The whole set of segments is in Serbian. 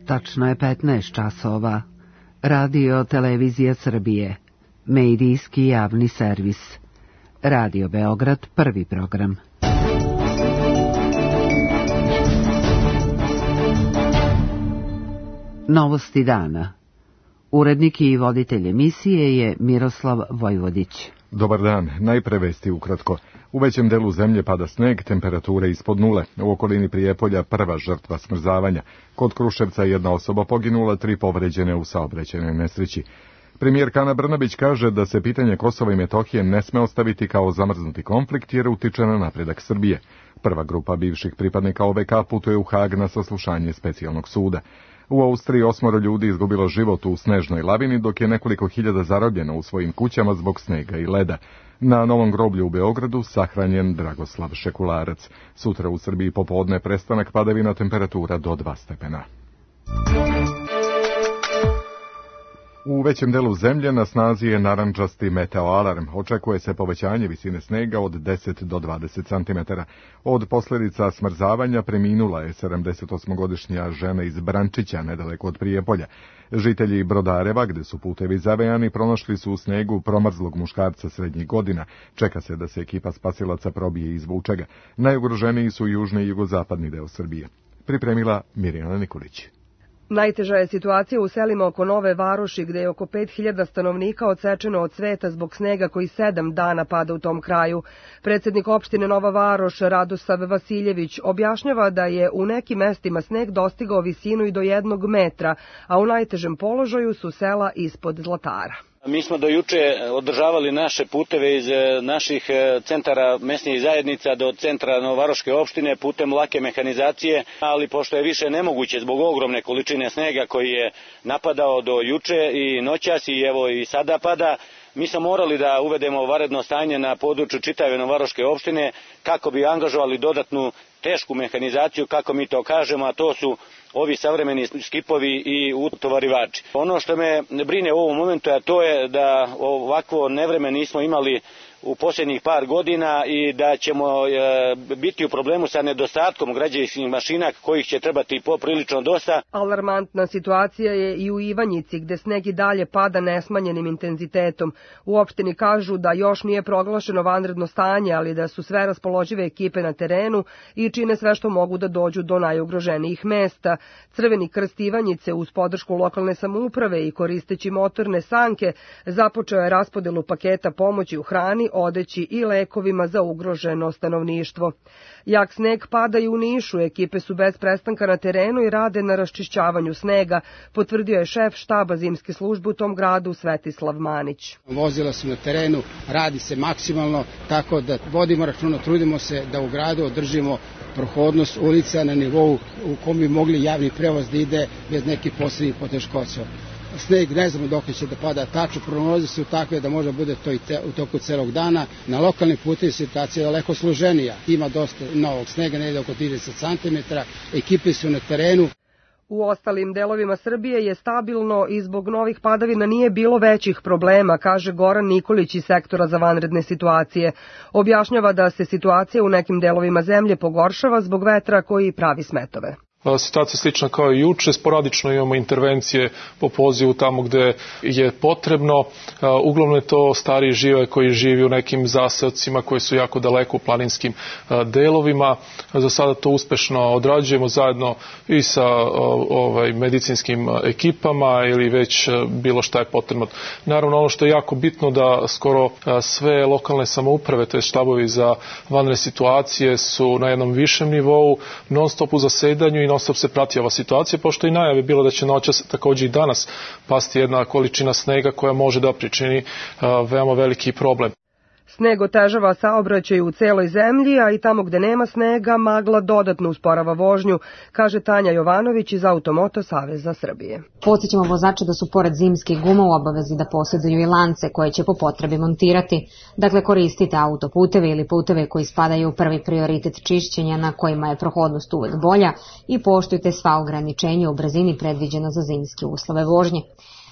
Tačno je 15 časova. Radio Televizija Srbije. Medijski javni servis. Radio Beograd, prvi program. Novosti dana. Urednik i voditelj emisije je Miroslav Vojvodić. Dobar dan, najpre vesti ukratko. U većem delu zemlje pada sneg, temperature ispod nule. U okolini Prijepolja prva žrtva smrzavanja. Kod Kruševca jedna osoba poginula, 3 povređene u saobraćajnoj nesreći. Premijerka Ana Brnabić kaže da se pitanje Kosova i Metohije ne sme ostaviti kao zamrznuti konflikt jer utiče na napredak Srbije. Prva grupa bivših pripadnika OVK putuje u Hag na saslušanje specijalnog suda. U Austriji 8 ljudi izgubilo život u snežnoj lavini, dok je nekoliko hiljada zarobljeno u svojim kućama zbog snega i leda. Na Novom groblju u Beogradu sahranjen Dragoslav Šekularac. Sutra u Srbiji popodne prestanak padavina, temperatura do 2 stepena. U većem delu zemlje na snazi je narandžasti meteoalarm. Očekuje se povećanje visine snega od 10 do 20 cm. Od posljedica smrzavanja preminula je 78-godišnja žena iz Brančića, nedaleko od Prijepolja. Žitelji Brodareva, gde su putevi zavejani, pronašli su u snegu promrzlog muškarca srednjih godina. Čeka se da se ekipa spasilaca probije i izvuče ga. Najugroženiji su južni i jugozapadni deo Srbije. Pripremila Mirjana Nikolić. Najteža je situacija u selima oko Nove Varoši, gde je oko 5000 stanovnika odsečeno od sveta zbog snega koji 7 dana pada u tom kraju. Predsjednik opštine Nova Varoš, Radosav Vasiljević, objašnjava da je u nekim mestima sneg dostigao visinu i do 1 metra, a u najtežem položaju su sela ispod Zlatara. Mi smo do juče održavali naše puteve iz naših centara mesnih zajednica do centra Novovaroške opštine putem lake mehanizacije, ali pošto je više nemoguće zbog ogromne količine snega koji je napadao do juče i noćas i evo i sada pada, mi smo morali da uvedemo vanredno stanje na području čitave Novovaroške opštine kako bi angažovali dodatnu tešku mehanizaciju, kako mi to kažemo, a to su ovi savremeni skipovi i utovarivači. Ono što me brine u ovom momentu, a to je da ovakvo nevreme nismo imali u posljednjih par godina i da ćemo biti u problemu sa nedostatkom građevinskih mašina kojih će trebati poprilično dosta. Alarmantna situacija je i u Ivanjici, gde sneg i dalje pada nesmanjenim intenzitetom. U opštini kažu da još nije proglašeno vanredno stanje, ali da su sve raspoložive ekipe na terenu i čine sve što mogu da dođu do najugroženijih mesta. Crveni krst Ivanjice uz podršku lokalne samouprave i koristeći motorne sanke započeo je raspodelu paketa pomoći u hrani, odeći i lekovima za ugroženo stanovništvo. Jak sneg pada i u Nišu, ekipe su bez prestanka na terenu i rade na raščišćavanju snega, potvrdio je šef štaba zimske službe u tom gradu Svetislav Manić. Vozila su na terenu, radi se maksimalno, tako da vodimo računa, trudimo se da u gradu održimo prohodnost ulica na nivou u kom bi mogli javni prevoz da ide bez nekih posebnih poteškoća. Sneg ne znamo dok će da pada tačno, prognoze su takve da može bude to i u toku celog dana. Na lokalnim putevima situacija je daleko složenija. Ima dosta novog snega, negde oko 30 cm, ekipe su na terenu. U ostalim delovima Srbije je stabilno i zbog novih padavina nije bilo većih problema, kaže Goran Nikolić iz sektora za vanredne situacije. Objašnjava da se situacija u nekim delovima zemlje pogoršava zbog vetra koji pravi smetove. Situacija slična kao i juče, sporadično imamo intervencije po pozivu tamo gde je potrebno. Uglavnom je to stariji žive koji živi u nekim zaseocima koji su jako daleko u planinskim delovima. Za sada to uspešno odrađujemo zajedno i sa medicinskim ekipama ili već bilo šta je potrebno. Naravno, ono što je jako bitno da skoro sve lokalne samouprave, to je štabovi za vanredne situacije, su na jednom višem nivou, non stop u zasedanju i non stop se prati ova situacija, pošto i najave bilo da će noćas također i danas pasti jedna količina snega koja može da pričini veoma veliki problem. Sneg otežava saobraćaj u celoj zemlji, a i tamo gde nema snega magla dodatno usporava vožnju, kaže Tanja Jovanović iz Automoto Saveza Srbije. Podsjećamo vozače da su pored zimskih guma u obavezi da posjeduju i lance koje će po potrebi montirati. Dakle, koristite autoputeve ili puteve koji spadaju u prvi prioritet čišćenja na kojima je prohodnost uvek bolja i poštujte sva ograničenja u brzini predviđena za zimske uslove vožnje.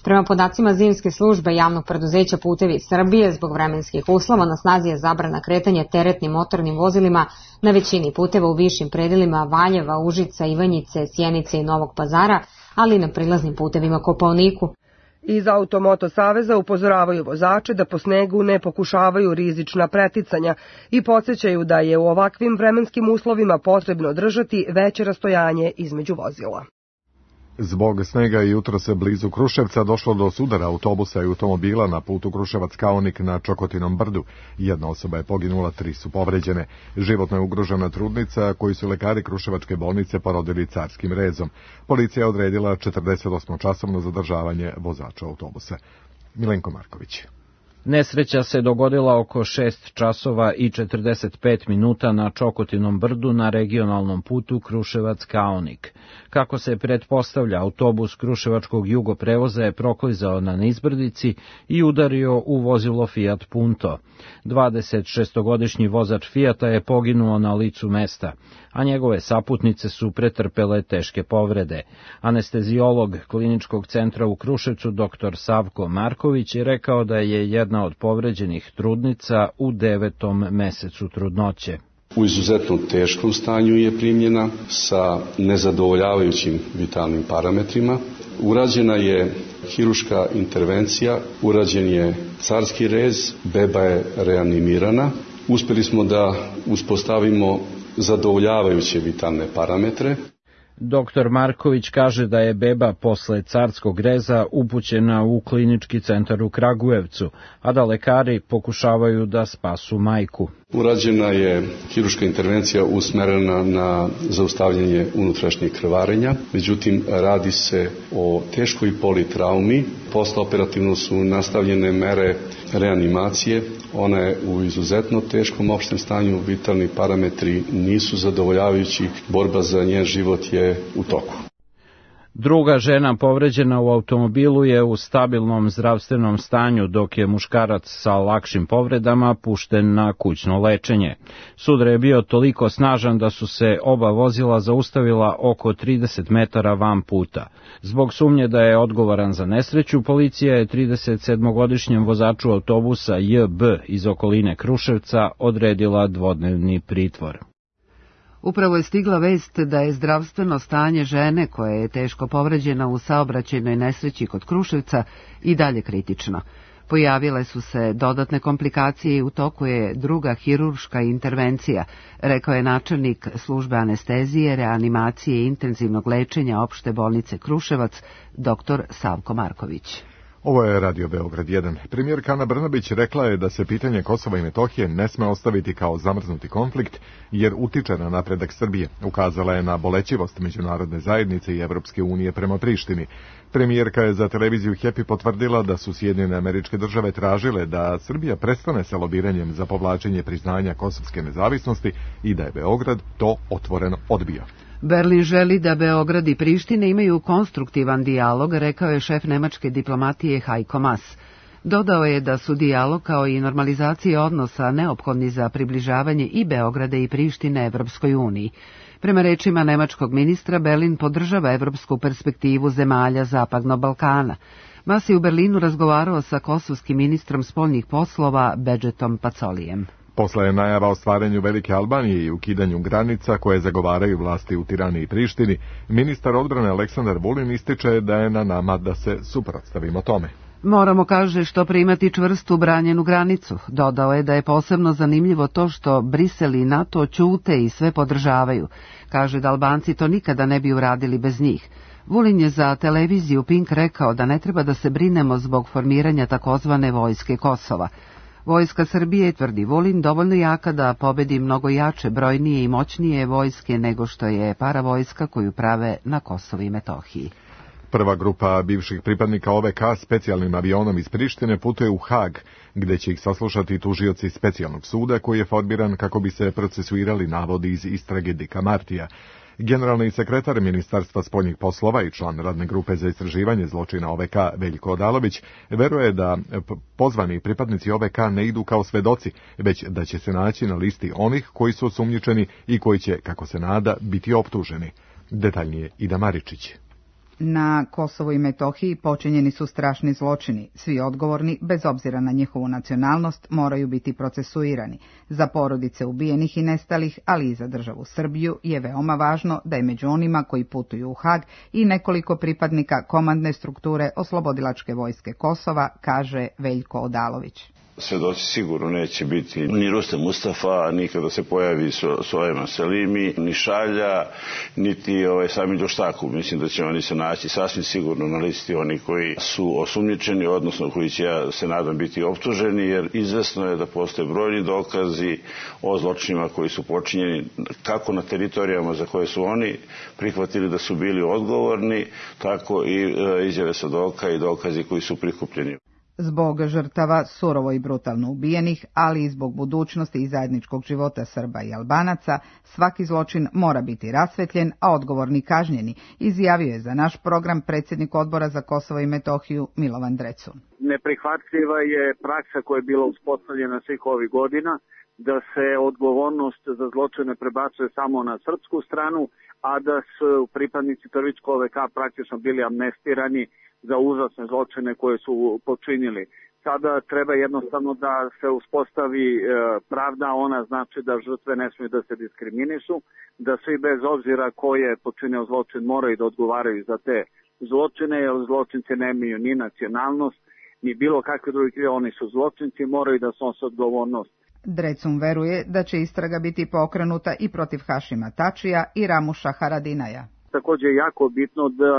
Prema podacima zimske službe javnog preduzeća Putevi Srbije, zbog vremenskih uslova na snazi je zabrana kretanja teretnim motornim vozilima na većini puteva u višim predelima Valjeva, Užica, Ivanjice, Sjenice i Novog Pazara, ali i na prilaznim putevima Kopaoniku. Iz Automoto saveza upozoravaju vozače da po snegu ne pokušavaju rizična preticanja i podsjećaju da je u ovakvim vremenskim uslovima potrebno držati veće rastojanje između vozila. Zbog snega i jutro se blizu Kruševca došlo do sudara autobusa i automobila na putu Kruševac-Kaonik na Čokotinom brdu. Jedna osoba je poginula, 3 su povređene. Životno je ugrožena trudnica koju su lekari Kruševačke bolnice porodili carskim rezom. Policija je odredila 48-časovno zadržavanje vozača autobusa. Milenko Marković. Nesreća se dogodila oko 6 časova i 45 minuta na Čokotinom brdu na regionalnom putu Kruševac-Kaonik. Kako se pretpostavlja, autobus Kruševačkog jugoprevoza je proklizao na nizbrdici i udario u vozilo Fiat Punto. 26-godišnji vozač Fiata je poginuo na licu mesta, a njegove saputnice su pretrpele teške povrede. Anesteziolog Kliničkog centra u Kruševcu dr. Savko Marković je rekao da je jedna od povređenih trudnica u 9. mesecu trudnoće. U izuzetno teškom stanju je primljena sa nezadovoljavajućim vitalnim parametrima. Urađena je hiruška intervencija, urađen je carski rez, beba je reanimirana. Uspjeli smo da uspostavimo zadovoljavajuće vitalne parametre. Dr. Marković kaže da je beba posle carskog reza upućena u klinički centar u Kragujevcu, a da lekari pokušavaju da spasu majku. Urađena je hiruška intervencija usmerena na zaustavljanje unutrašnjeg krvarenja, međutim radi se o teškoj politraumi. Postoperativno su nastavljene mere reanimacije, ona je u izuzetno teškom opštem stanju, vitalni parametri nisu zadovoljavajući, borba za njen život je u toku. Druga žena povređena u automobilu je u stabilnom zdravstvenom stanju, dok je muškarac sa lakšim povredama pušten na kućno lečenje. Sudar je bio toliko snažan da su se oba vozila zaustavila oko 30 metara van puta. Zbog sumnje da je odgovoran za nesreću, policija je 37-godišnjem vozaču autobusa JB iz okoline Kruševca odredila dvodnevni pritvor. Upravo je stigla vest da je zdravstveno stanje žene koja je teško povređena u saobraćajnoj nesreći kod Kruševca i dalje kritično. Pojavile su se dodatne komplikacije i u toku je druga hirurška intervencija, rekao je načelnik službe anestezije, reanimacije i intenzivnog lečenja opšte bolnice Kruševac, dr. Savko Marković. Ovo je Radio Beograd 1. Premijerka Ana Brnabić rekla je da se pitanje Kosova i Metohije ne sme ostaviti kao zamrznuti konflikt, jer utiče na napredak Srbije. Ukazala je na bolećivost međunarodne zajednice i Evropske unije prema Prištini. Premijerka je za televiziju Happy potvrdila da su Sjedinjene Američke Države tražile da Srbija prestane sa lobiranjem za povlačenje priznanja kosovske nezavisnosti i da je Beograd to otvoreno odbio. Berlin želi da Beograd i Priština imaju konstruktivan dijalog, rekao je šef nemačke diplomatije Heiko Maas. Dodao je da su dijalog kao i normalizacija odnosa neophodni za približavanje i Beograda i Prištine Evropskoj uniji. Prema rečima nemačkog ministra, Berlin podržava evropsku perspektivu zemalja Zapadnog Balkana. Maas je u Berlinu razgovarao sa kosovskim ministrom spoljnih poslova Bedžetom Pacolijem. Posle najava o stvaranju Velike Albanije i ukidanju granica koje zagovaraju vlasti u Tirani i Prištini, ministar odbrane Aleksandar Vulin ističe da je na nama da se suprotstavimo tome. Moramo, kaže, što primati čvrstu branjenu granicu. Dodao je da je posebno zanimljivo to što Brisel i NATO ćute i sve podržavaju. Kaže da Albanci to nikada ne bi uradili bez njih. Vulin je za televiziju Pink rekao da ne treba da se brinemo zbog formiranja takozvane vojske Kosova. Vojska Srbije, tvrdi Vulin, dovoljno jaka da pobedi mnogo jače, brojnije i moćnije vojske nego što je paravojska koju prave na Kosovu i Metohiji. Prva grupa bivših pripadnika OVK specijalnim avionom iz Prištine putuje u Hag, gde će ih saslušati tužioci specijalnog suda koji je formiran kako bi se procesuirali navodi iz istrage Dika Martija. Generalni sekretar Ministarstva spoljnih poslova i član radne grupe za istraživanje zločina OVK Veljko Odalović veruje da pozvani pripadnici OVK ne idu kao svedoci, već da će se naći na listi onih koji su osumnjičeni i koji će, kako se nada, biti optuženi. Detaljnije Ida Maričić. Na Kosovu i Metohiji počinjeni su strašni zločini. Svi odgovorni, bez obzira na njihovu nacionalnost, moraju biti procesuirani. Za porodice ubijenih i nestalih, ali i za državu Srbiju, je veoma važno da je među onima koji putuju u Hag i nekoliko pripadnika komandne strukture Oslobodilačke vojske Kosova, kaže Veljko Odalović. Svedoci sigurno neće biti ni Rustem Mustafa, ni kada se pojavi Sulejman Selimi, ni Šalja, niti sami Ljoštaku. Mislim da će oni se naći sasvim sigurno na listi oni koji su osumnjičeni, odnosno koji će, ja se nadam, biti optuženi, jer izvesno je da postoje brojni dokazi o zločinima koji su počinjeni kako na teritorijama za koje su oni prihvatili da su bili odgovorni, tako i izjave svedoka i dokazi koji su prikupljeni. Zbog žrtava surovo i brutalno ubijenih, ali i zbog budućnosti i zajedničkog života Srba i Albanaca, svaki zločin mora biti rasvetljen, a odgovorni kažnjeni, izjavio je za naš program predsjednik Odbora za Kosovo i Metohiju Milovan Drecun. Neprihvatljiva je praksa koja je bila uspostavljena svih ovih godina, da se odgovornost za zločine prebacuje samo na srpsku stranu, a da su pripadnici Prvičkog OVK praktično bili amnestirani za užasne zločine koje su počinili. Sada treba jednostavno da se uspostavi pravda, ona znači da žrtve ne smiju da se diskriminišu, da svi bez obzira ko je počinio zločin moraju da odgovaraju za te zločine, jer zločinci nemaju ni nacionalnost, ni bilo kakve druge, oni su zločinci, moraju da snose odgovornost. Drecun veruje da će istraga biti pokrenuta i protiv Hašima Tačija i Ramuša Haradinaja. Također je jako bitno da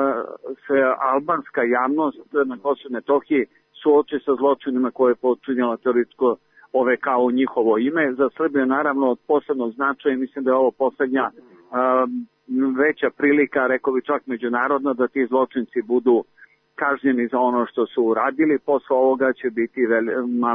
se albanska javnost na Kosovu i Metohiji suoči sa zločinima koje je počinjala Terorističko OVK u njihovo ime. Za Srbiju naravno od posebnog značaja, mislim da je ovo posljednja veća prilika, rekao bi čak međunarodno, da ti zločinci budu kažnjeni za ono što su uradili. Posle ovoga će biti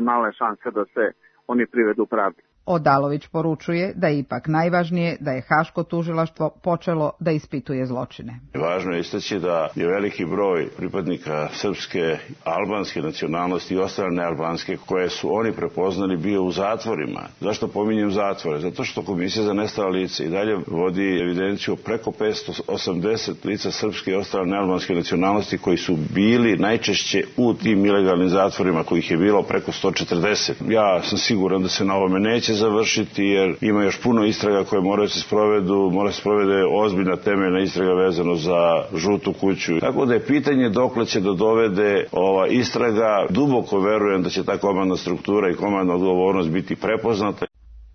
male šanse da se oni privedu pravdi. Odalović poručuje da je ipak najvažnije da je Haško tužilaštvo počelo da ispituje zločine. Važno je istaći da je veliki broj pripadnika srpske, albanske nacionalnosti i ostale nealbanske koje su oni prepoznali bio u zatvorima. Zašto pominjem zatvore? Zato što Komisija za nestala lica i dalje vodi evidenciju preko 580 lica srpske i ostale nealbanske nacionalnosti koji su bili najčešće u tim ilegalnim zatvorima, kojih je bilo preko 140. Ja sam siguran da se na ovome neće završiti, jer ima još puno istraga koje moraju se sprovedu, mora se sprovede ozbiljna temeljna istraga vezano za žutu kuću. Tako da je pitanje dokle će da dovede ova istraga. Duboko verujem da će ta komandna struktura i komandna odgovornost biti prepoznata.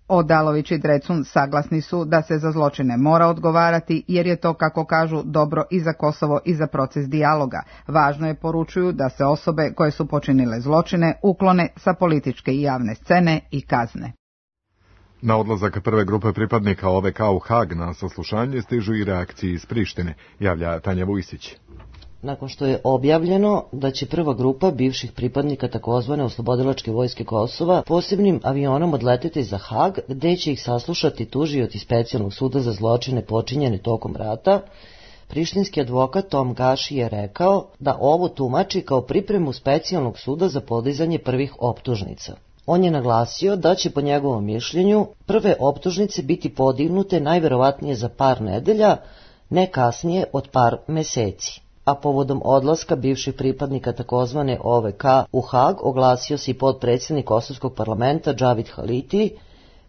Odalović i Drecun saglasni su da se za zločine mora odgovarati, jer je to, kako kažu, dobro i za Kosovo i za proces dijaloga. Važno je, poručuju, da se osobe koje su počinile zločine uklone sa političke i javne scene i kazne. Na odlazak prve grupe pripadnika OVK u Hag na saslušanje stižu i reakcije iz Prištine, javlja Tanja Vujsić. Nakon što je objavljeno da će prva grupa bivših pripadnika takozvane Oslobodilačke vojske Kosova posebnim avionom odleteti za Hag, gde će ih saslušati tužioci Specijalnog suda za zločine počinjene tokom rata, prištinski advokat Tom Gaši je rekao da ovo tumači kao pripremu Specijalnog suda za podizanje prvih optužnica. On je naglasio da će po njegovom mišljenju prve optužnice biti podignute najverovatnije za par nedelja, ne kasnije od par meseci. A povodom odlaska bivših pripadnika takozvane OVK u Hag oglasio se i potpredsjednik Kosovskog parlamenta Džavid Haliti,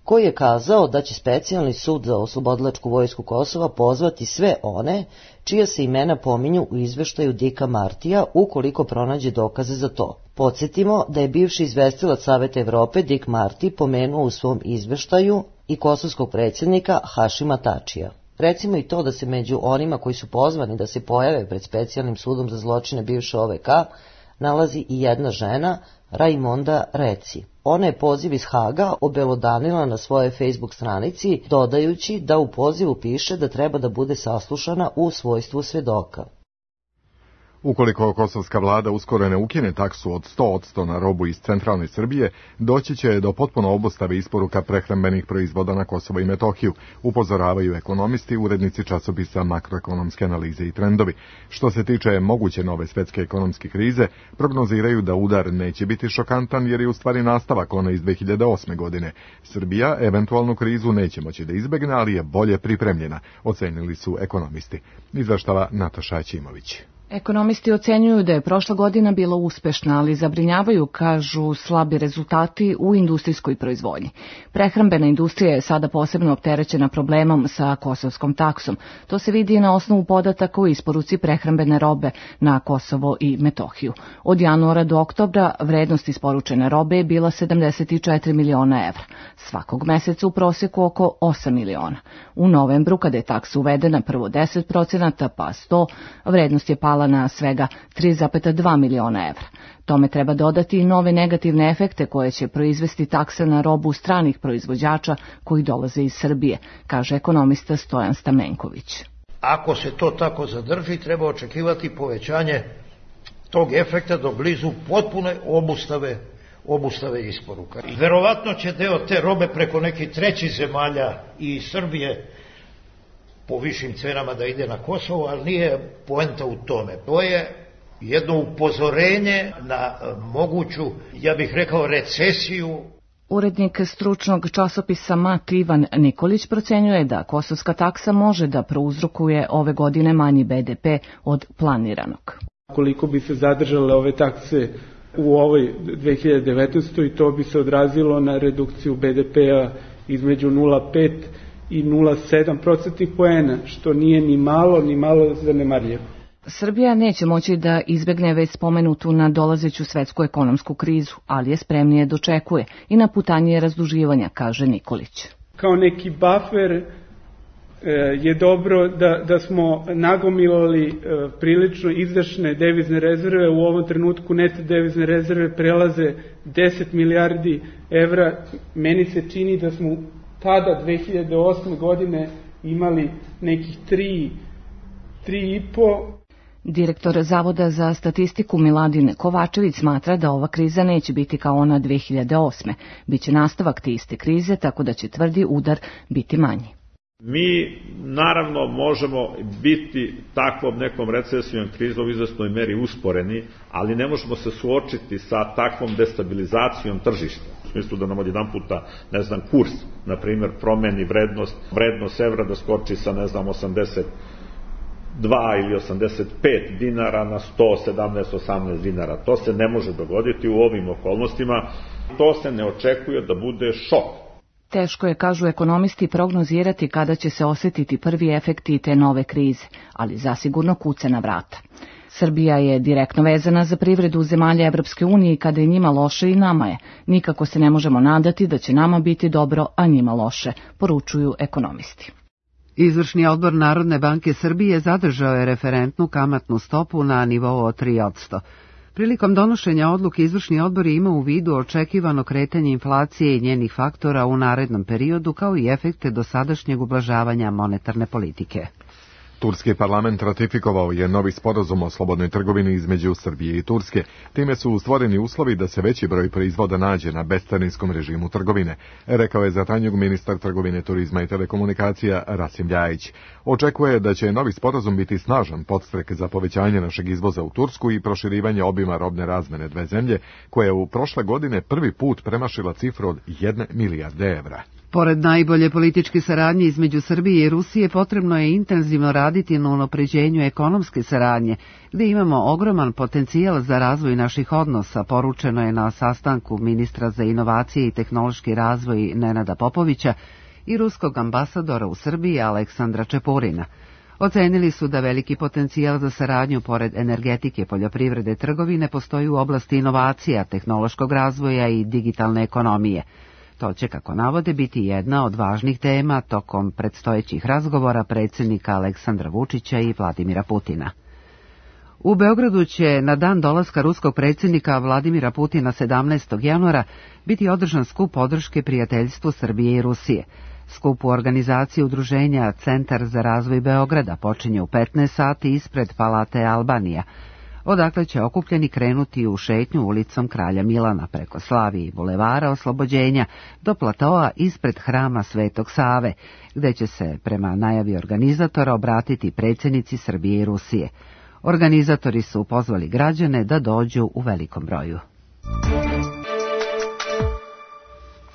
koji je kazao da će Specijalni sud za Oslobodilačku vojsku Kosova pozvati sve one čija se imena pominju u izveštaju Dicka Martija ukoliko pronađe dokaze za to. Podsjetimo da je bivši izvestilac Saveta Evrope Dick Marty pomenuo u svom izveštaju i kosovskog predsjednika Hašima Tačija. Recimo i to da se među onima koji su pozvani da se pojave pred Specijalnim sudom za zločine bivše OVK nalazi i jedna žena, Raimonda Reci. Ona je poziv iz Haga obelodanila na svojoj Facebook stranici, dodajući da u pozivu piše da treba da bude saslušana u svojstvu svedoka. Ukoliko kosovska vlada uskoro ne ukine taksu od 100% na robu iz centralne Srbije, doći će do potpuno obustave isporuka prehrambenih proizvoda na Kosovo i Metohiju, upozoravaju ekonomisti, urednici časopisa Makroekonomske analize i trendovi. Što se tiče moguće nove svetske ekonomske krize, prognoziraju da udar neće biti šokantan jer je u stvari nastavak one iz 2008. godine. Srbija eventualnu krizu neće moći da izbegne, ali je bolje pripremljena, ocenili su ekonomisti. Izveštava Nataša Aćimović. Ekonomisti ocenjuju da je prošla godina bila uspešna, ali zabrinjavaju, kažu, slabi rezultati u industrijskoj proizvodnji. Prehrambena industrija je sada posebno opterećena problemom sa kosovskom taksom. To se vidi na osnovu podataka o isporuci prehrambene robe na Kosovo i Metohiju. Od januara do oktobra vrednost isporučene robe je bila 74 miliona evra. Svakog meseca u prosjeku oko 8 miliona. U novembru, kada je taksa uvedena prvo 10%, pa 100%, vrednost je pala na svega 3,2 miliona evra. Tome treba dodati i nove negativne efekte koje će proizvesti taksa na robu stranih proizvođača koji dolaze iz Srbije, kaže ekonomista Stojan Stamenković. Ako se to tako zadrži, treba očekivati povećanje tog efekta do blizu potpune obustave isporuka. Verovatno će deo te robe preko nekih trećih zemalja i Srbije po višim cenama da ide na Kosovo, ali nije poenta u tome. To je jedno upozorenje na moguću, ja bih rekao, recesiju. Urednik stručnog časopisa MAT Ivan Nikolić procenjuje da kosovska taksa može da prouzrokuje ove godine manji BDP od planiranog. Koliko bi se zadržale ove takse u ovoj 2019. i to bi se odrazilo na redukciju BDP-a između 0,5 i 0,7% poena, što nije ni malo zanemarljivo. Srbija neće moći da izbegne već spomenutu nadolazeću svetsku ekonomsku krizu, ali je spremnije dočekuje i na putanje razduživanja, kaže Nikolić. Kao neki buffer je dobro da smo nagomilali prilično izdašne devizne rezerve. U ovom trenutku neto devizne rezerve prelaze 10 milijardi evra. Meni se čini da smo tada 2008. godine imali nekih 3,5. Direktor Zavoda za statistiku Miladin Kovačević smatra da ova kriza neće biti kao ona 2008. Biće nastavak te iste krize, tako da će tvrdi udar biti manji. Mi naravno možemo biti takvom nekom recesijom krizom u izvesnoj meri usporeni, ali ne možemo se suočiti sa takvom destabilizacijom tržišta. U smislu da nam odjedanputa, kurs, na primjer, promeni vrednost evra da skoči sa, 82 ili 85 dinara na 117-18 dinara. To se ne može dogoditi u ovim okolnostima. To se ne očekuje da bude šok. Teško je, kažu ekonomisti, prognozirati kada će se osjetiti prvi efekti te nove krize, ali zasigurno kuca na vrata. Srbija je direktno vezana za privredu zemalja Evropske unije i kada je njima loše i nama je. Nikako se ne možemo nadati da će nama biti dobro, a njima loše, poručuju ekonomisti. Izvršni odbor Narodne banke Srbije zadržao je referentnu kamatnu stopu na nivou od 3%. Prilikom donošenja odluke izvršni odbor ima u vidu očekivano kretanje inflacije i njenih faktora u narednom periodu kao i efekte dosadašnjeg ublažavanja monetarne politike. Turski parlament ratifikovao je novi sporazum o slobodnoj trgovini između Srbije i Turske. Time su stvoreni uslovi da se veći broj proizvoda nađe na bescarinskom režimu trgovine, rekao je za Tanjug ministar trgovine, turizma i telekomunikacija Rasim Ljajić. Očekuje da će novi sporazum biti snažan podstrek za povećanje našeg izvoza u Tursku i proširivanje obima robne razmene dve zemlje, koja je u prošle godine prvi put premašila cifru od 1 milijarde evra. Pored najbolje političke saradnje između Srbije i Rusije, potrebno je intenzivno raditi na unapređenju ekonomske saradnje, gdje imamo ogroman potencijal za razvoj naših odnosa, poručeno je na sastanku ministra za inovacije i tehnološki razvoj Nenada Popovića i ruskog ambasadora u Srbiji Aleksandra Čepurina. Ocenili su da veliki potencijal za saradnju pored energetike, poljoprivrede, trgovine postoji u oblasti inovacija, tehnološkog razvoja i digitalne ekonomije. To će, kako navode, biti jedna od važnih tema tokom predstojećih razgovora predsjednika Aleksandra Vučića i Vladimira Putina. U Beogradu će na dan dolaska ruskog predsjednika Vladimira Putina 17. januara biti održan skup podrške prijateljstvu Srbije i Rusije. Skup u organizaciji udruženja Centar za razvoj Beograda počinje u 15 sati ispred Palate Albanija, odakle će okupljeni krenuti u šetnju ulicom Kralja Milana preko Slavije i Bulevara Oslobođenja do platoa ispred hrama Svetog Save, gde će se, prema najavi organizatora, obratiti predsjednici Srbije i Rusije. Organizatori su pozvali građane da dođu u velikom broju.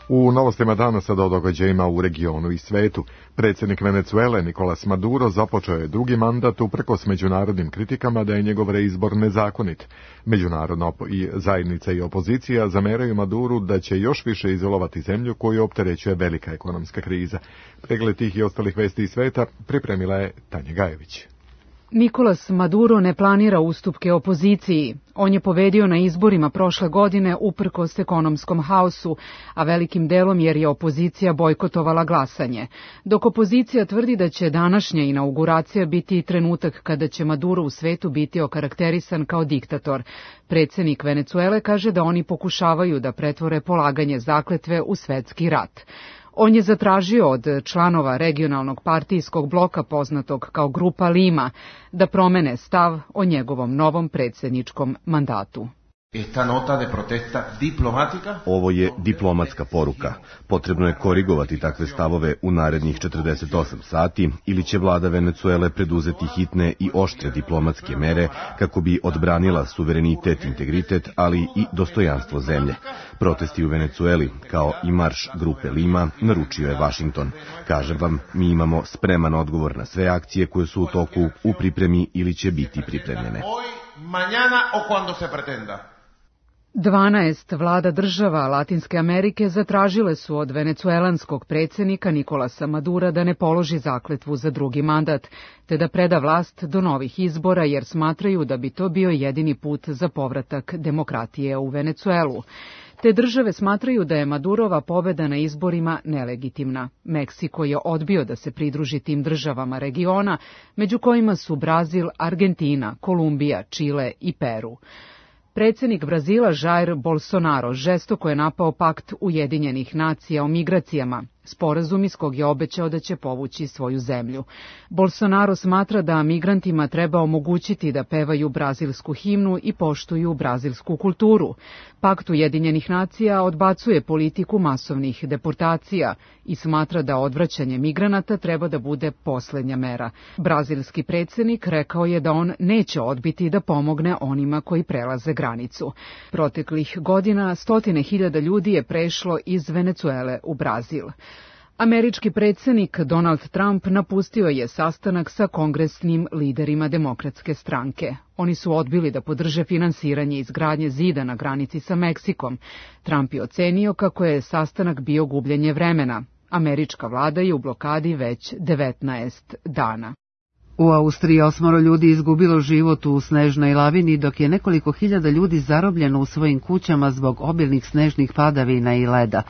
U novostima dana sada o događajima u regionu i svetu. Predsjednik Venecuele Nicolás Maduro započeo je drugi mandat uprkos međunarodnim kritikama da je njegov reizbor nezakonit. Međunarodna zajednica i opozicija zameraju Maduru da će još više izolovati zemlju koju opterećuje velika ekonomska kriza. Pregled tih i ostalih vesti iz sveta pripremila je Tanja Gajević. Nicolás Maduro ne planira ustupke opoziciji. On je pobedio na izborima prošle godine uprkos ekonomskom haosu, a velikim delom jer je opozicija bojkotovala glasanje. Dok opozicija tvrdi da će današnja inauguracija biti trenutak kada će Maduro u svetu biti okarakterisan kao diktator. Predsjednik Venecuele kaže da oni pokušavaju da pretvore polaganje zakletve u svetski rat. On je zatražio od članova regionalnog partijskog bloka poznatog kao Grupa Lima da promene stav o njegovom novom predsjedničkom mandatu. Ovo je diplomatska poruka. Potrebno je korigovati takve stavove u narednih 48 sati ili će vlada Venecuele preduzeti hitne i oštre diplomatske mere kako bi odbranila suverenitet, integritet, ali i dostojanstvo zemlje. Protesti u Venecueli, kao i marš Grupe Lima, naručio je Washington. Kažem vam, mi imamo spreman odgovor na sve akcije koje su u toku, u pripremi ili će biti pripremljene. 12 vlada država Latinske Amerike zatražile su od venecuelanskog predsjednika Nicolasa Madura da ne položi zakletvu za drugi mandat, te da preda vlast do novih izbora jer smatraju da bi to bio jedini put za povratak demokratije u Venecuelu. Te države smatraju da je Madurova pobeda na izborima nelegitimna. Meksiko je odbio da se pridruži tim državama regiona, među kojima su Brazil, Argentina, Kolumbija, Čile i Peru. Predsjednik Brazila Jair Bolsonaro žestoko je napao pakt Ujedinjenih nacija o migracijama, sporazum iz kog je obećao da će povući svoju zemlju. Bolsonaro smatra da migrantima treba omogućiti da pevaju brazilsku himnu i poštuju brazilsku kulturu. Pakt Ujedinjenih nacija odbacuje politiku masovnih deportacija i smatra da odvraćanje migranata treba da bude posljednja mera. Brazilski predsjednik rekao je da on neće odbiti da pomogne onima koji prelaze granicu. Proteklih godina 100.000 ljudi je prešlo iz Venecuele u Brazil. Američki predsjednik Donald Trump napustio je sastanak sa kongresnim liderima Demokratske stranke. Oni su odbili da podrže finansiranje izgradnje zida na granici sa Meksikom. Trump je ocenio kako je sastanak bio gubljenje vremena. Američka vlada je u blokadi već 19 dana. U Austriji 8 ljudi izgubilo život u snežnoj lavini, dok je nekoliko hiljada ljudi zarobljeno u svojim kućama zbog obilnih snežnih padavina i leda.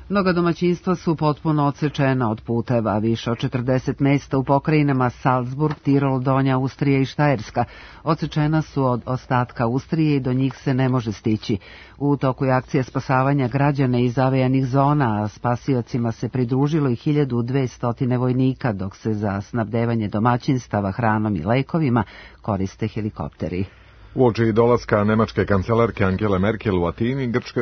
Mnoga domaćinstva su potpuno odsečena od puteva, više od 40 mjesta u pokrajinama Salzburg, Tirol, Donja Austrija i Štajerska. Odsečena su od ostatka Austrije i do njih se ne može stići. U toku je akcija spasavanja građana iz zavejanih zona, a spasiocima se pridružilo i 1200 vojnika, dok se za snabdevanje domaćinstava hranom i lekovima koriste helikopteri. Uoči dolaska nemačke kancelarke Angele Merkel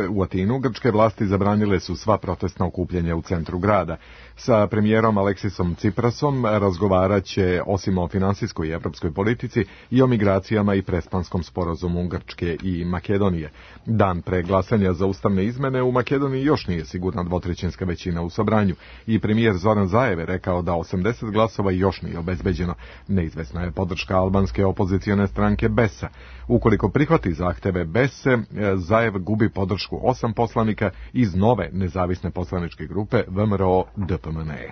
u Atinu, grčke vlasti zabranile su sva protestna okupljanja u centru grada. Sa premijerom Aleksisom Tsiprasom razgovarat će osim o finansijskoj i evropskoj politici i o migracijama i prespanskom sporazumu Grčke i Makedonije. Dan pre glasanja za ustavne izmene u Makedoniji još nije sigurna dvotrećinska većina u sabranju i premijer Zoran Zaev je rekao da 80 glasova još nije obezbeđeno. Neizvesna je podrška albanske opozicione stranke BES-a. Ukoliko prihvati zahteve BES-e, Zaev gubi podršku 8 poslanika iz nove nezavisne poslaničke grupe VMRO-DPMNE.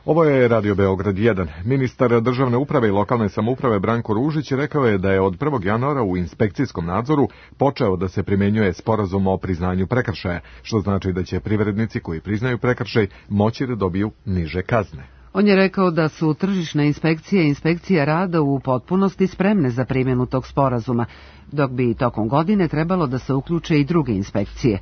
Ovo je Radio Beograd 1. Ministar državne uprave i lokalne samouprave Branko Ružić rekao je da je od 1. januara u inspekcijskom nadzoru počeo da se primjenjuje sporazum o priznanju prekršaja, što znači da će privrednici koji priznaju prekršaj moći da dobiju niže kazne. On je rekao da su tržišna inspekcija i inspekcija rada u potpunosti spremne za primjenu tog sporazuma, dok bi tokom godine trebalo da se uključe i druge inspekcije.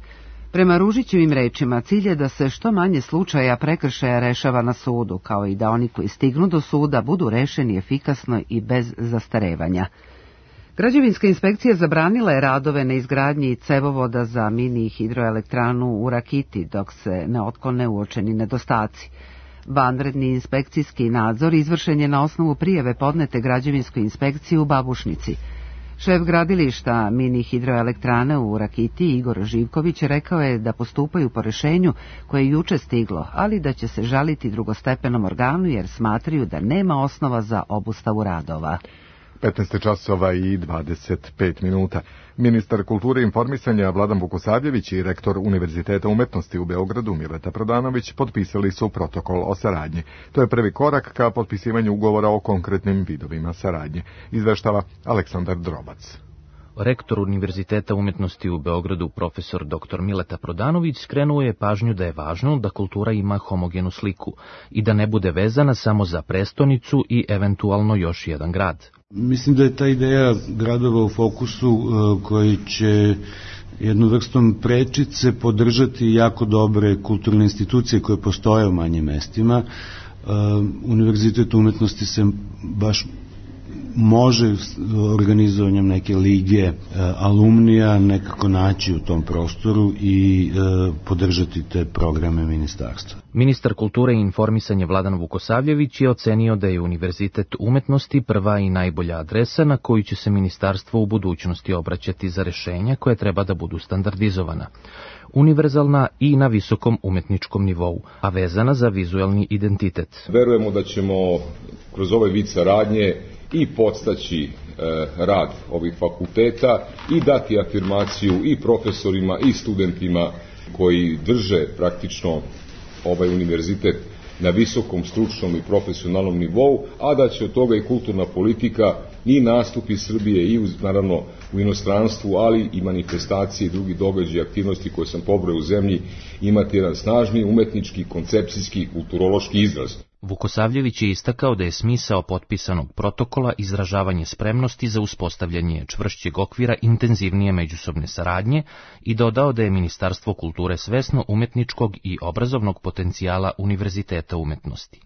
Prema Ružićevim rečima, cilj je da se što manje slučaja prekršaja rešava na sudu, kao i da oni koji stignu do suda budu rešeni efikasno i bez zastarevanja. Građevinska inspekcija zabranila je radove na izgradnji cevovoda za mini hidroelektranu u Rakiti dok se ne otklone uočeni nedostaci. Vanredni inspekcijski nadzor izvršen je na osnovu prijave podnete građevinskoj inspekciji u Babušnici. Šef gradilišta mini hidroelektrane u Rakiti, Igor Živković, rekao je da postupaju po rešenju koje je juče stiglo, ali da će se žaliti drugostepenom organu jer smatraju da nema osnova za obustavu radova. 15 časova i 25 minuta. Ministar kulture i informisanja Vladan Vukosavljević i rektor Univerziteta umetnosti u Beogradu Mileta Prodanović potpisali su protokol o saradnji. To je prvi korak ka potpisivanju ugovora o konkretnim vidovima saradnje. Izveštava Aleksandar Drobac. Rektor Univerziteta umetnosti u Beogradu, profesor dr. Mileta Prodanović, skrenuo je pažnju da je važno da kultura ima homogenu sliku i da ne bude vezana samo za prestonicu i eventualno još jedan grad. Mislim da je ta ideja gradova u fokusu koji će jednu vrstom prečice podržati jako dobre kulturne institucije koje postoje u manjim mestima. Univerzitet umetnosti se baš može organizovanjem neke lige alumnija nekako naći u tom prostoru i podržati te programe ministarstva. Ministar kulture i informisanja Vladan Vukosavljević je ocenio da je Univerzitet umetnosti prva i najbolja adresa na koju će se ministarstvo u budućnosti obraćati za rešenja koje treba da budu standardizovana, univerzalna i na visokom umetničkom nivou, a vezana za vizuelni identitet. Verujemo da ćemo kroz ovaj vid saradnje i podstaći rad ovih fakulteta i dati afirmaciju i profesorima i studentima koji drže praktično ovaj univerzitet na visokom stručnom i profesionalnom nivou, a da će od toga i kulturna politika i nastupi Srbije i naravno u inostranstvu, ali i manifestacije i drugi događaji i aktivnosti koje sam pobrojao u zemlji imati jedan snažni umetnički, koncepcijski i kulturološki izraz. Vukosavljević je istakao da je smisao potpisanog protokola izražavanje spremnosti za uspostavljanje čvršćeg okvira intenzivnije međusobne saradnje i dodao da je Ministarstvo kulture svesno umetničkog i obrazovnog potencijala Univerziteta umetnosti.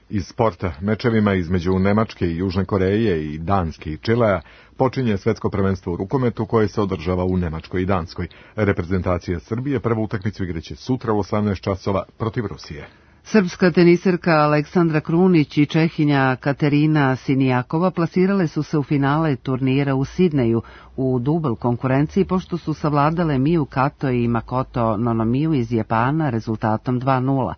Iz sporta, mečevima između Nemačke i Južne Koreje i Danske i Čilea počinje svetsko prvenstvo u rukometu koje se održava u Nemačkoj i Danskoj. Reprezentacija Srbije prvu utakmicu igraće sutra u 18 časova protiv Rusije. Srpska teniserka Aleksandra Krunić i Čehinja Katerina Sinijakova plasirale su se u finale turnira u Sidneju u dubl konkurenciji pošto su savladale Miu Kato i Makoto Nonomiju iz Japana rezultatom 2:0.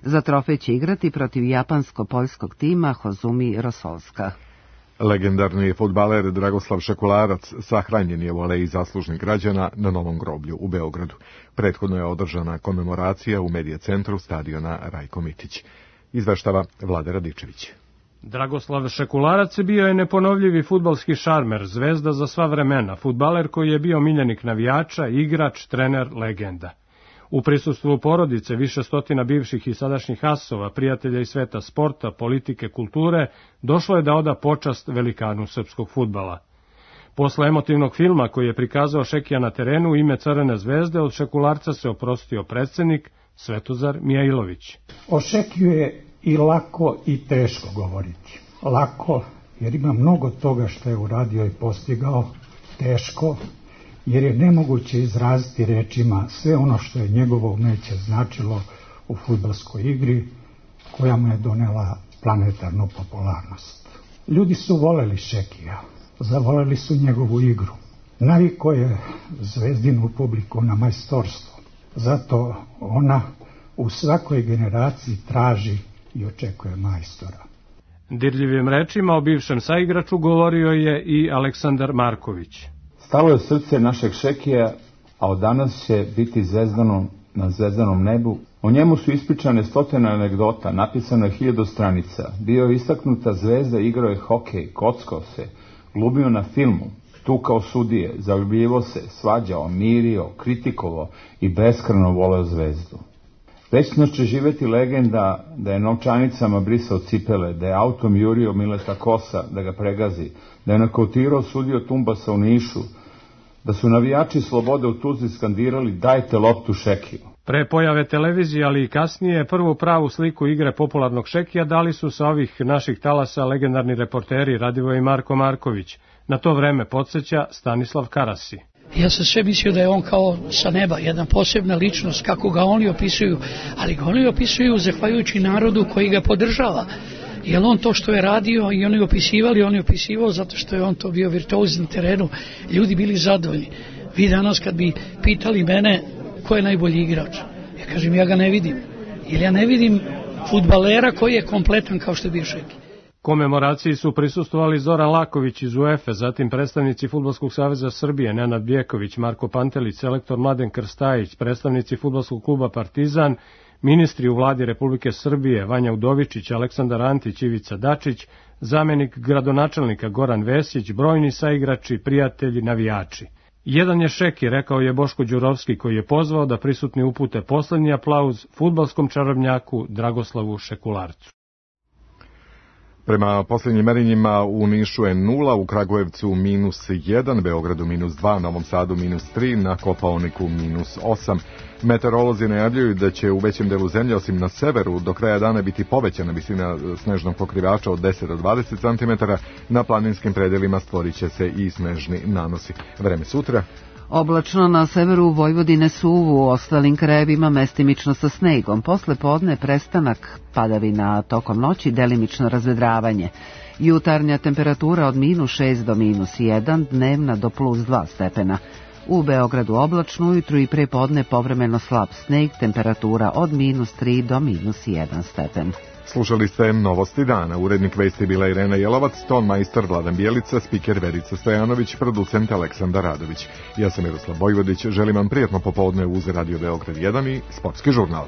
Za trofej će igrati protiv japansko-poljskog tima Hozumi Rosolska. Legendarni fudbaler Dragoslav Šekularac sahranjen je u aleji zaslužnih građana na Novom groblju u Beogradu. Prethodno je održana komemoracija u medija centru stadiona Rajko Mitić. Izveštava Vlada Radičević. Dragoslav Šekularac bio je neponovljivi fudbalski šarmer, zvezda za sva vremena, fudbaler koji je bio miljenik navijača, igrač, trener, legenda. U prisustvu porodice više stotina bivših i sadašnjih asova, prijatelja iz sveta sporta, politike, kulture, došlo je da oda počast velikanu srpskog fudbala. Posle emotivnog filma koji je prikazao Šekija na terenu ime Crvene zvezde, od Šekularca se oprostio predsjednik Svetozar Mijailović. O Šekiju je i lako i teško govoriti. Lako, jer ima mnogo toga što je uradio i postigao, teško, jer je nemoguće izraziti rečima sve ono što je njegovo umeće značilo u fudbalskoj igri, koja mu je donela planetarnu popularnost. Ljudi su voleli Šekija, zavoleli su njegovu igru. Navikao je zvezdinu publiku na majstorstvo, zato ona u svakoj generaciji traži i očekuje majstora. Dirljivim rečima o bivšem saigraču govorio je i Aleksandar Marković. Stalo je srce našeg Šekija, a od danas će biti zvezdano na zvezdanom nebu. O njemu su ispričane stotine anegdota, napisano je 1000 stranica. Bio je istaknuta zvezda, igrao je hokej, kockao se, glumio na filmu, tukao sudije, zaljubljivo se, svađao, mirio, kritikovao i beskrajno voleo zvezdu. Večno će živeti legenda da je novčanicama brisao cipele, da je autom jurio Mileta Kosa da ga pregazi, da je nakautirao sudio Tumbasa u Nišu, da su navijači Slobode u Tuzli skandirali dajte loptu Šekiju. Pre pojave televizije, ali i kasnije, prvu pravu sliku igre popularnog šekija dali su sa ovih naših talasa legendarni reporteri Radivoj i Marko Marković. Na to vreme podsjeća Stanislav Karasi. Ja sam sve mislio da je on kao sa neba, jedna posebna ličnost, kako ga oni opisuju, ali ga oni opisuju zahvaljujući narodu koji ga podržava. Jer on to što je radio i oni opisivali, on je opisivao zato što je on to bio virtuoz na terenu, ljudi bili zadovoljni. Vi danas kad bi pitali mene ko je najbolji igrač, ja kažem ja ga ne vidim, jer ja ne vidim fudbalera koji je kompletan kao što je bio Šeki. Komemoraciji su prisustvovali Zoran Laković iz UEFA, zatim predstavnici Fudbalskog saveza Srbije, Nenad Bjeković, Marko Pantelić, selektor Mladen Krstajić, predstavnici Fudbalskog kluba Partizan, ministri u vladi Republike Srbije, Vanja Udovičić, Aleksandar Antić, Ivica Dačić, zamenik gradonačelnika Goran Vesić, brojni saigrači, prijatelji, navijači. Jedan je Šeki, rekao je Boško Đurovski, koji je pozvao da prisutni upute poslednji aplauz fudbalskom čarobnjaku Dragoslavu Šekularcu. Prema posljednjim merenjima u Nišu je 0, u Kragujevcu -1, Beogradu -2, Novom Sadu -3, na Kopaoniku -8. Meteorolozi najavljuju da će u većem delu zemlje, osim na severu, do kraja dana biti povećana visina snežnog pokrivača od 10 do 20 cm, na planinskim predelima stvorit će se i snežni nanosi. Vreme sutra. Oblačno na severu Vojvodine suvu, u ostalim krajevima mestimično sa snegom. Posle podne prestanak padavina, tokom noći delimično razvedravanje. Jutarnja temperatura od -6 do -1, dnevna do +2 stepena. U Beogradu oblačno, ujutru i pre podne povremeno slab sneg, temperatura od -3 do -1 stepen. Slušali ste Novosti dana. Urednik vesti bila Irena Jelovac, ton majstor Vladan Bjelica, spiker Verica Stojanović, producent Aleksandar Radović. Ja sam Miroslav Vojvodić, želim vam prijatno popodne uz Radio Beograd 1 i Sportski žurnal.